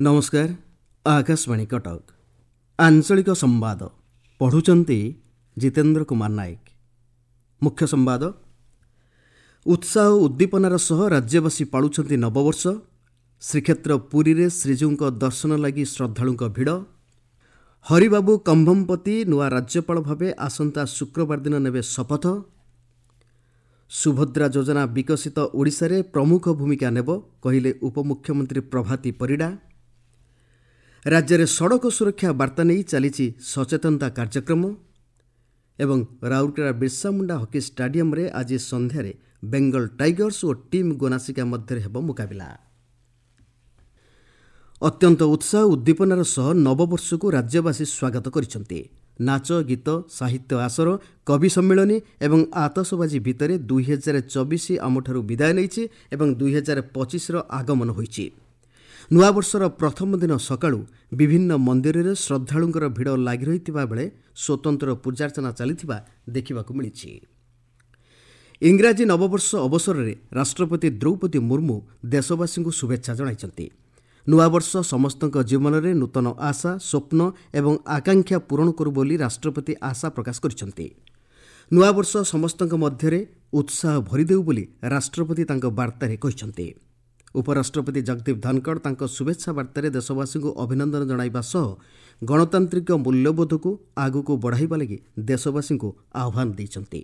ନମସ୍କାର, ଆକାଶବାଣୀ କଟକ। ଆଞ୍ଚଳିକ ସମ୍ବାଦ ପଢ଼ୁଛନ୍ତି ଜିତେନ୍ଦ୍ର କୁମାର ନାୟକ। ମୁଖ୍ୟ ସମ୍ବାଦ। ଉତ୍ସାହ ଓ ଉଦ୍ଦୀପନାର ସହ ରାଜ୍ୟବାସୀ ପାଳୁଛନ୍ତି ନବବର୍ଷ। ଶ୍ରୀକ୍ଷେତ୍ର ପୁରୀରେ ଶ୍ରୀଜୀଉଙ୍କ ଦର୍ଶନ ଲାଗି ଶ୍ରଦ୍ଧାଳୁଙ୍କ ଭିଡ଼। ହରିବାବୁ କମ୍ଭମପତି ନୂଆ ରାଜ୍ୟପାଳ ଭାବେ ଆସନ୍ତା ଶୁକ୍ରବାର ଦିନ ନେବେ ଶପଥ। ସୁଭଦ୍ରା ଯୋଜନା ବିକଶିତ ଓଡ଼ିଶାରେ ପ୍ରମୁଖ ଭୂମିକା ନେବ, କହିଲେ ଉପମୁଖ୍ୟମନ୍ତ୍ରୀ ପ୍ରଭାତୀ ପରିଡ଼ା। ରାଜ୍ୟରେ ସଡ଼କ ସୁରକ୍ଷା ବାର୍ତ୍ତା ନେଇ ଚାଲିଛି ସଚେତନତା କାର୍ଯ୍ୟକ୍ରମ। ଏବଂ ରାଉରକେଲା ବିର୍ସାମୁଣ୍ଡା ହକି ଷ୍ଟାଡିୟମରେ ଆଜି ସନ୍ଧ୍ୟାରେ ବେଙ୍ଗଲ ଟାଇଗର୍ସ ଓ ଟିମ୍ ଗୋନାସିକା ମଧ୍ୟରେ ହେବ ମୁକାବିଲା। ଅତ୍ୟନ୍ତ ଉତ୍ସାହ ଉଦ୍ଦୀପନାର ସହ ନବବର୍ଷକୁ ରାଜ୍ୟବାସୀ ସ୍ୱାଗତ କରିଛନ୍ତି। ନାଚ ଗୀତ, ସାହିତ୍ୟ ଆସର, କବି ସମ୍ମିଳନୀ ଏବଂ ଆତସବାଜି ଭିତରେ 2024 ଆମଠାରୁ ବିଦାୟ ନେଇଛି ଏବଂ 2025ର ଆଗମନ ହୋଇଛି। ନୂଆବର୍ଷର ପ୍ରଥମ ଦିନ ସକାଳୁ ବିଭିନ୍ନ ମନ୍ଦିରରେ ଶ୍ରଦ୍ଧାଳୁଙ୍କର ଭିଡ଼ ଲାଗି ରହିଥିବା ବେଳେ ସ୍ୱତନ୍ତ୍ର ପୂଜାର୍ଚ୍ଚନା ଚାଲିଥିବା ଦେଖିବାକୁ ମିଳିଛି। ଇଂରାଜୀ ନବବର୍ଷ ଅବସରରେ ରାଷ୍ଟ୍ରପତି ଦ୍ରୌପଦୀ ମୁର୍ମୁ ଦେଶବାସୀଙ୍କୁ ଶୁଭେଚ୍ଛା ଜଣାଇଛନ୍ତି। ନୂଆବର୍ଷ ସମସ୍ତଙ୍କ ଜୀବନରେ ନୂତନ ଆଶା, ସ୍ୱପ୍ନ ଏବଂ ଆକାଂକ୍ଷା ପୂରଣ କରୁ ବୋଲି ରାଷ୍ଟ୍ରପତି ଆଶା ପ୍ରକାଶ କରିଛନ୍ତି। ନୂଆବର୍ଷ ସମସ୍ତଙ୍କ ମଧ୍ୟରେ ଉତ୍ସାହ ଭରିଦେଉ ବୋଲି ରାଷ୍ଟ୍ରପତି ତାଙ୍କ ବାର୍ତ୍ତାରେ କହିଛନ୍ତି। ଉପରାଷ୍ଟ୍ରପତି ଜଗଦୀପ ଧନଖଡ଼ ତାଙ୍କ ଶୁଭେଚ୍ଛା ବାର୍ତ୍ତାରେ ଦେଶବାସୀଙ୍କୁ ଅଭିନନ୍ଦନ ଜଣାଇବା ସହ ଗଣତାନ୍ତ୍ରିକ ମୂଲ୍ୟବୋଧକୁ ଆଗକୁ ବଢ଼ାଇବା ଲାଗି ଦେଶବାସୀଙ୍କୁ ଆହ୍ୱାନ ଦେଇଛନ୍ତି।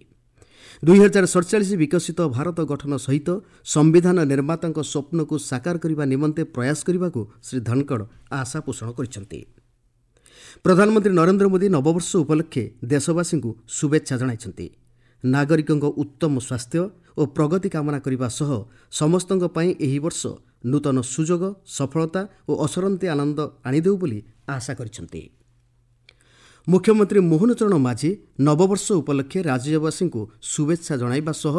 2047 ବିକଶିତ ଭାରତ ଗଠନ ସହିତ ସମ୍ବିଧାନ ନିର୍ମାତାଙ୍କ ସ୍ୱପ୍ନକୁ ସାକାର କରିବା ନିମନ୍ତେ ପ୍ରୟାସ କରିବାକୁ ଶ୍ରୀ ଧନଖଡ଼ ଆଶା ପୋଷଣ କରିଛନ୍ତି। ପ୍ରଧାନମନ୍ତ୍ରୀ ନରେନ୍ଦ୍ର ମୋଦି ନବବର୍ଷ ଉପଲକ୍ଷେ ଦେଶବାସୀଙ୍କୁ ଶୁଭେଚ୍ଛା ଜଣାଇଛନ୍ତି। ନାଗରିକଙ୍କ ଉତ୍ତମ ସ୍ୱାସ୍ଥ୍ୟ ଓ ପ୍ରଗତି କାମନା କରିବା ସହ ସମସ୍ତଙ୍କ ପାଇଁ ଏହି ବର୍ଷ ନୂତନ ସୁଯୋଗ, ସଫଳତା ଓ ଅସରନ୍ତି ଆନନ୍ଦ ଆଣିଦେଉ ବୋଲି ଆଶା କରିଛନ୍ତି। ମୁଖ୍ୟମନ୍ତ୍ରୀ ମୋହନ ଚରଣ ମାଝୀ ନବବର୍ଷ ଉପଲକ୍ଷେ ରାଜ୍ୟବାସୀଙ୍କୁ ଶୁଭେଚ୍ଛା ଜଣାଇବା ସହ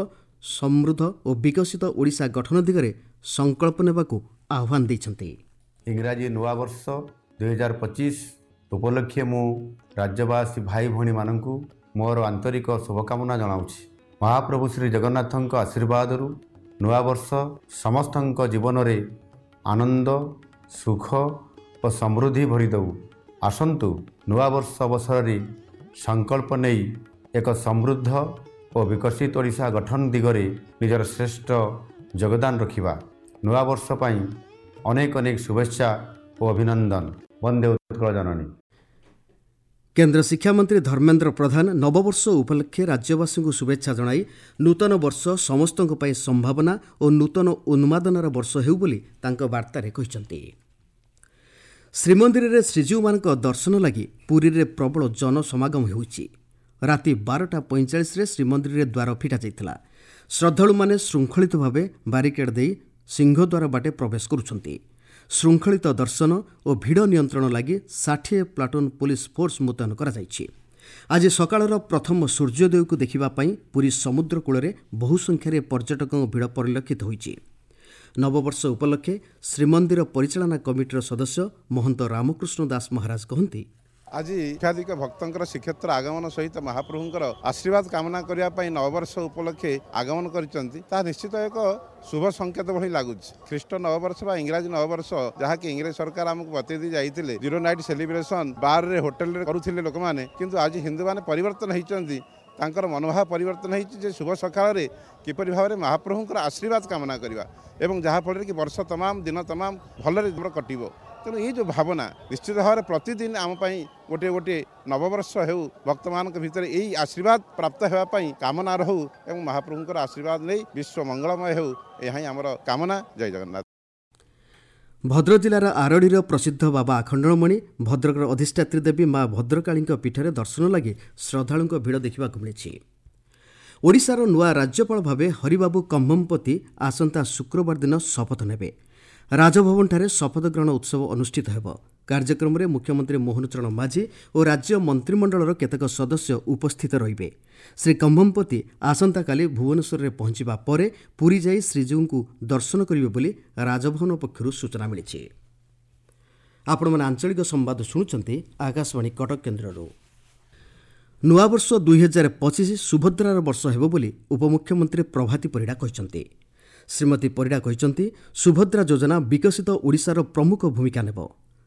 ସମୃଦ୍ଧ ଓ ବିକଶିତ ଓଡ଼ିଶା ଗଠନ ଦିଗରେ ସଂକଳ୍ପ ନେବାକୁ ଆହ୍ୱାନ ଦେଇଛନ୍ତି। ଇଂରାଜୀ ନୂଆବର୍ଷ 2025 ଉପଲକ୍ଷେ ମୁଁ ରାଜ୍ୟବାସୀ ଭାଇ ଭଉଣୀମାନଙ୍କୁ ମୋର ଆନ୍ତରିକ ଶୁଭକାମନା ଜଣାଉଛି। ମହାପ୍ରଭୁ ଶ୍ରୀ ଜଗନ୍ନାଥଙ୍କ ଆଶୀର୍ବାଦରୁ ନୂଆବର୍ଷ ସମସ୍ତଙ୍କ ଜୀବନରେ ଆନନ୍ଦ, ସୁଖ ଓ ସମୃଦ୍ଧି ଭରିଦେଉ। ଆସନ୍ତୁ ନୂଆବର୍ଷ ଅବସରରେ ସଂକଳ୍ପ ନେଇ ଏକ ସମୃଦ୍ଧ ଓ ବିକଶିତ ଓଡ଼ିଶା ଗଠନ ଦିଗରେ ନିଜର ଶ୍ରେଷ୍ଠ ଯୋଗଦାନ ରଖିବା। ନୂଆବର୍ଷ ପାଇଁ ଅନେକ ଅନେକ ଶୁଭେଚ୍ଛା ଓ ଅଭିନନ୍ଦନ। ବନ୍ଦେ ଉତ୍କଳ ଜନନୀ। କେନ୍ଦ୍ର ଶିକ୍ଷାମନ୍ତ୍ରୀ ଧର୍ମେନ୍ଦ୍ର ପ୍ରଧାନ ନବବର୍ଷ ଉପଲକ୍ଷେ ରାଜ୍ୟବାସୀଙ୍କୁ ଶୁଭେଚ୍ଛା ଜଣାଇ ନୂତନ ବର୍ଷ ସମସ୍ତଙ୍କ ପାଇଁ ସମ୍ଭାବନା ଓ ନୂତନ ଉନ୍ମାଦନାର ବର୍ଷ ହେଉ ବୋଲି ତାଙ୍କ ବାର୍ତ୍ତାରେ କହିଛନ୍ତି। ଶ୍ରୀମନ୍ଦିରରେ ଶ୍ରୀଜୀଉମାନଙ୍କ ଦର୍ଶନ ଲାଗି ପୁରୀରେ ପ୍ରବଳ ଜନସମାଗମ ହେଉଛି। ରାତି 12ଟା 45ରେ ଶ୍ରୀମନ୍ଦିରରେ ଦ୍ୱାର ଫିଟାଯାଇଥିଲା। ଶ୍ରଦ୍ଧାଳୁମାନେ ଶୃଙ୍ଖଳିତ ଭାବେ ବାରିକେଡ୍ ଦେଇ ସିଂହଦ୍ୱାର ବାଟେ ପ୍ରବେଶ କରୁଛନ୍ତି। ଶୃଙ୍ଖଳିତ ଦର୍ଶନ ଓ ଭିଡ଼ ନିୟନ୍ତ୍ରଣ ଲାଗି 60 ପ୍ଲାଟୁନ୍ ପୋଲିସ ଫୋର୍ସ ମୁତୟନ କରାଯାଇଛି। ଆଜି ସକାଳର ପ୍ରଥମ ସୂର୍ଯ୍ୟୋଦୟକୁ ଦେଖିବା ପାଇଁ ପୁରୀ ସମୁଦ୍ର କୂଳରେ ବହୁ ସଂଖ୍ୟାରେ ପର୍ଯ୍ୟଟକଙ୍କ ଭିଡ଼ ପରିଲକ୍ଷିତ ହୋଇଛି। ନବବର୍ଷ ଉପଲକ୍ଷେ ଶ୍ରୀମନ୍ଦିର ପରିଚାଳନା କମିଟିର ସଦସ୍ୟ ମହନ୍ତ ରାମକୃଷ୍ଣ ଦାସ ମହାରାଜ କହନ୍ତି, ଆଜି ଲକ୍ଷାଧିକ ଭକ୍ତଙ୍କର ଶ୍ରୀକ୍ଷେତ୍ର ଆଗମନ ସହିତ ମହାପ୍ରଭୁଙ୍କର ଆଶୀର୍ବାଦ କାମନା କରିବା ପାଇଁ ନବବର୍ଷ ଉପଲକ୍ଷେ ଆଗମନ କରିଛନ୍ତି, ତାହା ନିଶ୍ଚିତ ଏକ ଶୁଭ ସଂକେତ ଭଳି ଲାଗୁଛି। ଖ୍ରୀଷ୍ଟ ନବବର୍ଷ ବା ଇଂରାଜୀ ନବବର୍ଷ, ଯାହାକି ଇଂରେଜ ସରକାର ଆମକୁ ବତେଇ ଦେଇ ଯାଇଥିଲେ, ଜିରୋ ନାଇଟ୍ ସେଲିବ୍ରେସନ ବାରରେ ହୋଟେଲରେ କରୁଥିଲେ ଲୋକମାନେ। କିନ୍ତୁ ଆଜି ହିନ୍ଦୁମାନେ ପରିବର୍ତ୍ତନ ହେଇଛନ୍ତି, ତାଙ୍କର ମନୋଭାବ ପରିବର୍ତ୍ତନ ହେଇଛି ଯେ ଶୁଭ ସକାଳରେ କିପରି ଭାବରେ ମହାପ୍ରଭୁଙ୍କର ଆଶୀର୍ବାଦ କାମନା କରିବା ଏବଂ ଯାହାଫଳରେ କି ବର୍ଷ ତମାମ ଦିନ ତମାମ ଭଲରେ କଟିବ। ତେଣୁ ଏଇ ଯେଉଁ ଭାବନା ନିଶ୍ଚିତ ଭାବରେ ପ୍ରତିଦିନ ଆମ ପାଇଁ ଗୋଟିଏ ଗୋଟିଏ ନବବର୍ଷ ହେଉ, ଭକ୍ତମାନଙ୍କ ଭିତରେ ଏଇ ଆଶୀର୍ବାଦ ପ୍ରାପ୍ତ ହେବା ପାଇଁ କାମନା ରହୁ ଏବଂ ମହାପ୍ରଭୁଙ୍କର ଆଶୀର୍ବାଦ ନେଇ ବିଶ୍ୱ ମଙ୍ଗଳମୟ ହେଉ, ଏହା ହିଁ ଆମର କାମନା। ଜୟ ଜଗନ୍ନାଥ। ଭଦ୍ରକ ଜିଲ୍ଲାର ଆରଡ଼ିର ପ୍ରସିଦ୍ଧ ବାବା ଆଖଣ୍ଡଳମଣି, ଭଦ୍ରକର ଅଧିଷ୍ଠାତ୍ରୀ ଦେବୀ ମା ଭଦ୍ରକାଳୀଙ୍କ ପୀଠରେ ଦର୍ଶନ ଲାଗି ଶ୍ରଦ୍ଧାଳୁଙ୍କ ଭିଡ଼ ଦେଖିବାକୁ ମିଳିଛି। ଓଡ଼ିଶାର ନୂଆ ରାଜ୍ୟପାଳ ଭାବେ ହରିବାବୁ କମ୍ଭମପତି ଆସନ୍ତା ଶୁକ୍ରବାର ଦିନ ଶପଥ ନେବେ। ରାଜଭବନଠାରେ ଶପଥ ଗ୍ରହଣ ଉତ୍ସବ ଅନୁଷ୍ଠିତ ହେବ। କାର୍ଯ୍ୟକ୍ରମରେ ମୁଖ୍ୟମନ୍ତ୍ରୀ ମୋହନ ଚରଣ ମାଝୀ ଓ ରାଜ୍ୟ ମନ୍ତ୍ରିମଣ୍ଡଳର କେତେକ ସଦସ୍ୟ ଉପସ୍ଥିତ ରହିବେ। ଶ୍ରୀ କମ୍ଭମପତି ଆସନ୍ତାକାଲି ଭୁବନେଶ୍ୱରରେ ପହଞ୍ଚିବା ପରେ ପୁରୀ ଯାଇ ଶ୍ରୀଜୀଉଙ୍କୁ ଦର୍ଶନ କରିବେ ବୋଲି ରାଜଭବନ ପକ୍ଷରୁ ସୂଚନା ମିଳିଛି। ଆପଣମାନେ ଆଞ୍ଚଳିକ ସମ୍ବାଦ ଶୁଣୁଛନ୍ତି ଆକାଶବାଣୀ କଟକ କେନ୍ଦ୍ରରୁ। ନୂଆବର୍ଷ 2025 ସୁଭଦ୍ରାର ବର୍ଷ ହେବ ବୋଲି ଉପମୁଖ୍ୟମନ୍ତ୍ରୀ ପ୍ରଭାତୀ ପରିଡ଼ା କହିଛନ୍ତି। ଶ୍ରୀମତୀ ପରିଡ଼ା କହିଛନ୍ତି, ସୁଭଦ୍ରା ଯୋଜନା ବିକଶିତ ଓଡ଼ିଶାର ପ୍ରମୁଖ ଭୂମିକା ନେବ।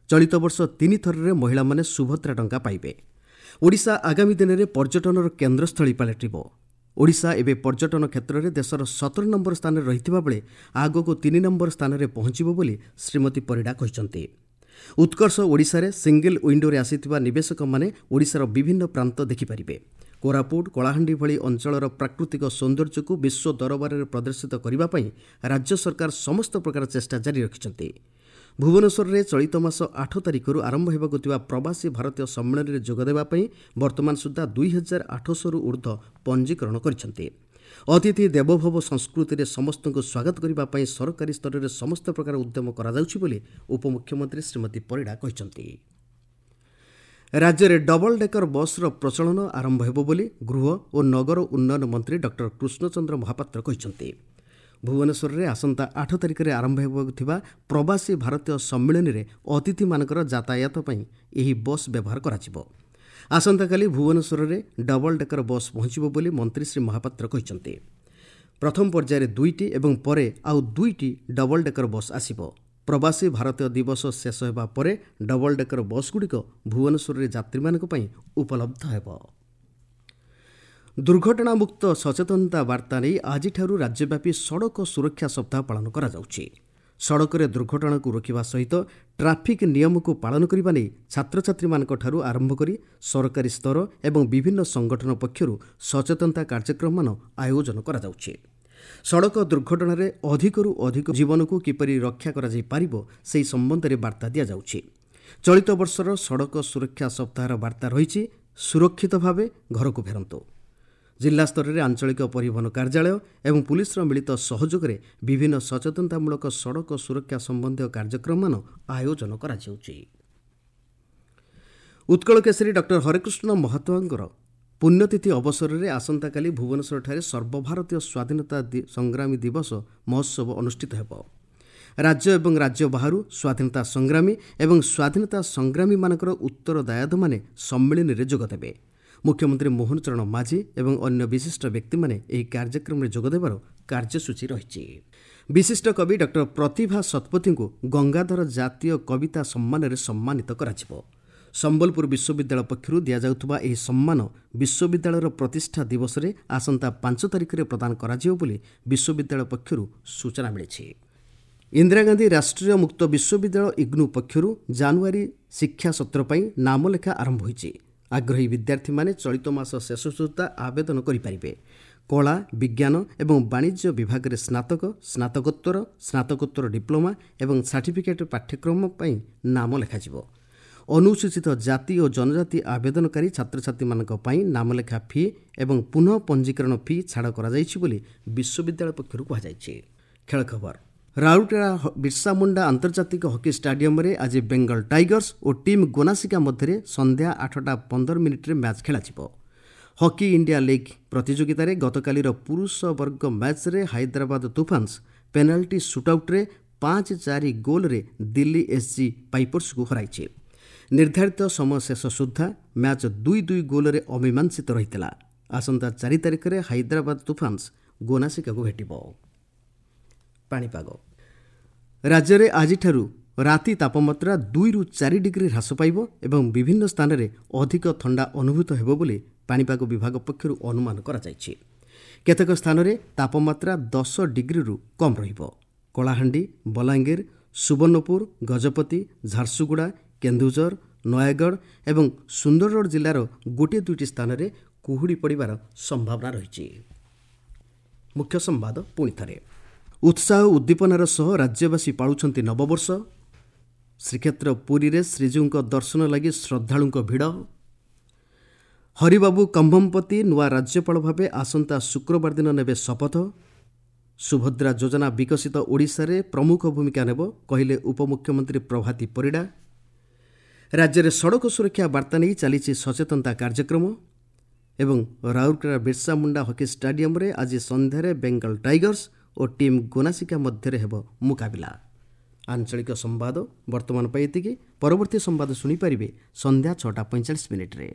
ଚଳିତ ବର୍ଷ 3 ଥରରେ ମହିଳାମାନେ ସୁଭଦ୍ରା ଟଙ୍କା ପାଇବେ। ଓଡ଼ିଶା ଆଗାମୀ ଦିନରେ ପର୍ଯ୍ୟଟନର କେନ୍ଦ୍ରସ୍ଥଳୀ ପାଲଟିବ। ଓଡ଼ିଶା ଏବେ ପର୍ଯ୍ୟଟନ କ୍ଷେତ୍ରରେ ଦେଶର 17 ନମ୍ବର ସ୍ଥାନରେ ରହିଥିବା ବେଳେ ଆଗକୁ 3 ନମ୍ବର ସ୍ଥାନରେ ପହଞ୍ଚିବ ବୋଲି ଶ୍ରୀମତୀ ପରିଡ଼ା କହିଛନ୍ତି। ଉତ୍କର୍ଷ ଓଡ଼ିଶାରେ ସିଙ୍ଗଲ ୱିଣ୍ଡୋରେ ଆସିଥିବା ନିବେଶକମାନେ ଓଡ଼ିଶାର ବିଭିନ୍ନ ପ୍ରାନ୍ତ ଦେଖିପାରିବେ। କୋରାପୁଟ, କଳାହାଣ୍ଡି ଭଳି ଅଞ୍ଚଳର ପ୍ରାକୃତିକ ସୌନ୍ଦର୍ଯ୍ୟକୁ ବିଶ୍ୱ ଦରବାରରେ ପ୍ରଦର୍ଶିତ କରିବା ପାଇଁ ରାଜ୍ୟ ସରକାର ସମସ୍ତ ପ୍ରକାର ଚେଷ୍ଟା ଜାରି ରଖିଛନ୍ତି। ଭୁବନେଶ୍ୱରରେ ଚଳିତ ମାସ 8 ତାରିଖରୁ ଆରମ୍ଭ ହେବାକୁ ଥିବା ପ୍ରବାସୀ ଭାରତୀୟ ସମ୍ମିଳନୀରେ ଯୋଗଦେବା ପାଇଁ ବର୍ତ୍ତମାନ ସୁଦ୍ଧା 2800ରୁ ଉର୍ଦ୍ଧ୍ୱ ପଞ୍ଜୀକରଣ କରିଛନ୍ତି। ଅତିଥି ଦେବୋଭବ ସଂସ୍କୃତିରେ ସମସ୍ତଙ୍କୁ ସ୍ୱାଗତ କରିବା ପାଇଁ ସରକାରୀ ସ୍ତରରେ ସମସ୍ତ ପ୍ରକାର ଉଦ୍ୟମ କରାଯାଉଛି ବୋଲି ଉପମୁଖ୍ୟମନ୍ତ୍ରୀ ଶ୍ରୀମତୀ ପରିଡ଼ା କହିଛନ୍ତି। ରାଜ୍ୟରେ ଡବଲ ଡେକର ବସ୍ର ପ୍ରଚଳନ ଆରମ୍ଭ ହେବ ବୋଲି ଗୃହ ଓ ନଗର ଉନ୍ନୟନ ମନ୍ତ୍ରୀ ଡକ୍ଟର କୃଷ୍ଣଚନ୍ଦ୍ର ମହାପାତ୍ର କହିଛନ୍ତି। ଭୁବନେଶ୍ୱରରେ ଆସନ୍ତା 8 ତାରିଖରେ ଆରମ୍ଭ ହେବାକୁ ଥିବା ପ୍ରବାସୀ ଭାରତୀୟ ସମ୍ମିଳନୀରେ ଅତିଥିମାନଙ୍କର ଯାତାୟାତ ପାଇଁ ଏହି ବସ୍ ବ୍ୟବହାର କରାଯିବ। ଆସନ୍ତାକାଲି ଭୁବନେଶ୍ୱରରେ ଡବଲ ଡେକର ବସ୍ ପହଞ୍ଚିବ ବୋଲି ମନ୍ତ୍ରୀ ଶ୍ରୀ ମହାପାତ୍ର କହିଛନ୍ତି। ପ୍ରଥମ ପର୍ଯ୍ୟାୟରେ 2ଟି ଏବଂ ପରେ ଆଉ 2ଟି ଡବଲ ଡେକର ବସ୍ ଆସିବ। ପ୍ରବାସୀ ଭାରତୀୟ ଦିବସ ଶେଷ ହେବା ପରେ ଡବଲ ଡେକର ବସ୍ଗୁଡ଼ିକ ଭୁବନେଶ୍ୱରରେ ଯାତ୍ରୀମାନଙ୍କ ପାଇଁ ଉପଲବ୍ଧ ହେବ। ଦୁର୍ଘଟଣାମୁକ୍ତ ସଚେତନତା ବାର୍ତ୍ତା ନେଇ ଆଜିଠାରୁ ରାଜ୍ୟବ୍ୟାପୀ ସଡ଼କ ସୁରକ୍ଷା ସପ୍ତାହ ପାଳନ କରାଯାଉଛି। ସଡ଼କରେ ଦୁର୍ଘଟଣାକୁ ରୋକିବା ସହିତ ଟ୍ରାଫିକ୍ ନିୟମକୁ ପାଳନ କରିବା ନେଇ ଛାତ୍ରଛାତ୍ରୀମାନଙ୍କଠାରୁ ଆରମ୍ଭ କରି ସରକାରୀ ସ୍ତର ଏବଂ ବିଭିନ୍ନ ସଂଗଠନ ପକ୍ଷରୁ ସଚେତନତା କାର୍ଯ୍ୟକ୍ରମମାନ ଆୟୋଜନ କରାଯାଉଛି। ସଡ଼କ ଦୁର୍ଘଟଣାରେ ଅଧିକରୁ ଅଧିକ ଜୀବନକୁ କିପରି ରକ୍ଷା କରାଯାଇପାରିବ ସେହି ସମ୍ବନ୍ଧରେ ବାର୍ତ୍ତା ଦିଆଯାଉଛି। ଚଳିତ ବର୍ଷର ସଡ଼କ ସୁରକ୍ଷା ସପ୍ତାହର ବାର୍ତ୍ତା ରହିଛି, ସୁରକ୍ଷିତ ଭାବେ ଘରକୁ ଫେରନ୍ତୁ। ଜିଲ୍ଲାସ୍ତରରେ ଆଞ୍ଚଳିକ ପରିବହନ କାର୍ଯ୍ୟାଳୟ ଏବଂ ପୁଲିସର ମିଳିତ ସହଯୋଗରେ ବିଭିନ୍ନ ସଚେତନତାମୂଳକ ସଡ଼କ ସୁରକ୍ଷା ସମ୍ବନ୍ଧୀୟ କାର୍ଯ୍ୟକ୍ରମମାନ ଆୟୋଜନ କରାଯାଉଛି। ଉତ୍କଳ କେଶରୀ ଡକ୍ଟର ହରେକୃଷ୍ଣ ମହତାବଙ୍କର ପୁଣ୍ୟତିଥି ଅବସରରେ ଆସନ୍ତାକାଲି ଭୁବନେଶ୍ୱରଠାରେ ସର୍ବଭାରତୀୟ ସ୍ୱାଧୀନତା ସଂଗ୍ରାମୀ ଦିବସ ମହୋତ୍ସବ ଅନୁଷ୍ଠିତ ହେବ। ରାଜ୍ୟ ଏବଂ ରାଜ୍ୟ ବାହାରୁ ସ୍ୱାଧୀନତା ସଂଗ୍ରାମୀ ଏବଂ ସ୍ୱାଧୀନତା ସଂଗ୍ରାମୀମାନଙ୍କର ଉତ୍ତରଦାୟାଦମାନେ ସମ୍ମିଳନୀରେ ଯୋଗଦେବେ। ମୁଖ୍ୟମନ୍ତ୍ରୀ ମୋହନ ଚରଣ ମାଝୀ ଏବଂ ଅନ୍ୟ ବିଶିଷ୍ଟ ବ୍ୟକ୍ତିମାନେ ଏହି କାର୍ଯ୍ୟକ୍ରମରେ ଯୋଗଦେବାର କାର୍ଯ୍ୟସୂଚୀ ରହିଛି। ବିଶିଷ୍ଟ କବି ଡକ୍ଟର ପ୍ରତିଭା ଶତପଥୀଙ୍କୁ ଗଙ୍ଗାଧର ଜାତୀୟ କବିତା ସମ୍ମାନରେ ସମ୍ମାନିତ କରାଯିବ। ସମ୍ବଲପୁର ବିଶ୍ୱବିଦ୍ୟାଳୟ ପକ୍ଷରୁ ଦିଆଯାଉଥିବା ଏହି ସମ୍ମାନ ବିଶ୍ୱବିଦ୍ୟାଳୟର ପ୍ରତିଷ୍ଠା ଦିବସରେ ଆସନ୍ତା 5 ତାରିଖରେ ପ୍ରଦାନ କରାଯିବ ବୋଲି ବିଶ୍ୱବିଦ୍ୟାଳୟ ପକ୍ଷରୁ ସୂଚନା ମିଳିଛି। ଇନ୍ଦିରା ଗାନ୍ଧୀ ରାଷ୍ଟ୍ରୀୟ ମୁକ୍ତ ବିଶ୍ୱବିଦ୍ୟାଳୟ ଇଗ୍ନୁ ପକ୍ଷରୁ ଜାନୁଆରୀ ଶିକ୍ଷା ସତ୍ର ପାଇଁ ନାମଲେଖା ଆରମ୍ଭ ହୋଇଛି। ଆଗ୍ରହୀ ବିଦ୍ୟାର୍ଥୀମାନେ ଚଳିତ ମାସ ଶେଷ ସୁଦ୍ଧା ଆବେଦନ କରିପାରିବେ। କଳା, ବିଜ୍ଞାନ ଏବଂ ବାଣିଜ୍ୟ ବିଭାଗରେ ସ୍ନାତକ, ସ୍ନାତକୋତ୍ତର, ସ୍ନାତକୋତ୍ତର ଡିପ୍ଲୋମା ଏବଂ ସାର୍ଟିଫିକେଟ୍ ପାଠ୍ୟକ୍ରମ ପାଇଁ ନାମ ଲେଖାଯିବ। ଅନୁସୂଚିତ ଜାତି ଓ ଜନଜାତି ଆବେଦନକାରୀ ଛାତ୍ରଛାତ୍ରୀମାନଙ୍କ ପାଇଁ ନାମଲେଖା ଫି ଏବଂ ପୁନଃ ପଞ୍ଜୀକରଣ ଫି ଛାଡ଼ କରାଯାଇଛି ବୋଲି ବିଶ୍ୱବିଦ୍ୟାଳୟ ପକ୍ଷରୁ କୁହାଯାଇଛି। ଖେଳ ଖବର। ରାଉରକେଲା ବିର୍ସା ମୁଣ୍ଡା ଆନ୍ତର୍ଜାତିକ ହକି ଷ୍ଟାଡିୟମରେ ଆଜି ବେଙ୍ଗଲ ଟାଇଗର୍ସ ଓ ଟିମ୍ ଗୋନାସିକା ମଧ୍ୟରେ ସନ୍ଧ୍ୟା 8:15 ମ୍ୟାଚ୍ ଖେଳାଯିବ। ହକି ଇଣ୍ଡିଆ ଲିଗ୍ ପ୍ରତିଯୋଗିତାରେ ଗତକାଲିର ପୁରୁଷ ବର୍ଗ ମ୍ୟାଚ୍ରେ ହାଇଦ୍ରାବାଦ ତୁଫାନ୍ସ ପେନାଲ୍ଟି ସୁଟ୍ଆଉଟ୍ରେ 5-4 ଗୋଲ୍ରେ ଦିଲ୍ଲୀ ଏସ୍ଜି ପାଇପର୍ସକୁ ହରାଇଛି। ନିର୍ଦ୍ଧାରିତ ସମୟ ଶେଷ ସୁଦ୍ଧା ମ୍ୟାଚ୍ 2-2 ଗୋଲ୍ରେ ଅମୀମାଂସିତ ରହିଥିଲା। ଆସନ୍ତା 4 ତାରିଖରେ ହାଇଦ୍ରାବାଦ ତୁଫାନ୍ସ ଗୋନାସିକାକୁ ଭେଟିବ। ପାଣିପାଗ। ରାଜ୍ୟରେ ଆଜିଠାରୁ ରାତି ତାପମାତ୍ରା 2ରୁ 4 ଡିଗ୍ରୀ ହ୍ରାସ ପାଇବ ଏବଂ ବିଭିନ୍ନ ସ୍ଥାନରେ ଅଧିକ ଥଣ୍ଡା ଅନୁଭୂତ ହେବ ବୋଲି ପାଣିପାଗ ବିଭାଗ ପକ୍ଷରୁ ଅନୁମାନ କରାଯାଇଛି। କେତେକ ସ୍ଥାନରେ ତାପମାତ୍ରା 10 ଡିଗ୍ରୀରୁ କମ୍ ରହିବ। କଳାହାଣ୍ଡି, ବଲାଙ୍ଗୀର, ସୁବର୍ଣ୍ଣପୁର, ଗଜପତି, ଝାରସୁଗୁଡ଼ା, କେନ୍ଦୁଝର, ନୟାଗଡ଼ ଏବଂ ସୁନ୍ଦରଗଡ଼ ଜିଲ୍ଲାର ଗୋଟିଏ ଦୁଇଟି ସ୍ଥାନରେ କୁହୁଡ଼ି ପଡ଼ିବାର ସମ୍ଭାବନା ରହିଛି। ମୁଖ୍ୟ ସମ୍ବାଦ ପୁଣି ଥରେ। ଉତ୍ସାହ ଉଦ୍ଦୀପନାର ସହ ରାଜ୍ୟବାସୀ ପାଳୁଛନ୍ତି ନବବର୍ଷ। ଶ୍ରୀକ୍ଷେତ୍ର ପୁରୀରେ ଶ୍ରୀଜୀଉଙ୍କ ଦର୍ଶନ ଲାଗି ଶ୍ରଦ୍ଧାଳୁଙ୍କ ଭିଡ଼। ହରିବାବୁ କମ୍ଭମପତି ନୂଆ ରାଜ୍ୟପାଳ ଭାବେ ଆସନ୍ତା ଶୁକ୍ରବାର ଦିନ ନେବେ ଶପଥ। ସୁଭଦ୍ରା ଯୋଜନା ବିକଶିତ ଓଡ଼ିଶାରେ ପ୍ରମୁଖ ଭୂମିକା ନେବ କହିଲେ ଉପମୁଖ୍ୟମନ୍ତ୍ରୀ ପ୍ରଭାତୀ ପରିଡ଼ା। ରାଜ୍ୟରେ ସଡ଼କ ସୁରକ୍ଷା ବାର୍ତ୍ତା ନେଇ ଚାଲିଛି ସଚେତନତା କାର୍ଯ୍ୟକ୍ରମ। ଏବଂ ରାଉରକେଲା ବିର୍ସା ମୁଣ୍ଡା ହକି ଷ୍ଟାଡିୟମରେ ଆଜି ସନ୍ଧ୍ୟାରେ ବେଙ୍ଗଲ ଟାଇଗର୍ସ ଓ ଟିମ୍ ଗୋନାସିକା ମଧ୍ୟରେ ହେବ ମୁକାବିଲା। ଆଞ୍ଚଳିକ ସମ୍ବାଦ ବର୍ତ୍ତମାନ ପାଇଁ ଏତିକି। ପରବର୍ତ୍ତୀ ସମ୍ବାଦ ଶୁଣିପାରିବେ ସନ୍ଧ୍ୟା 6:45।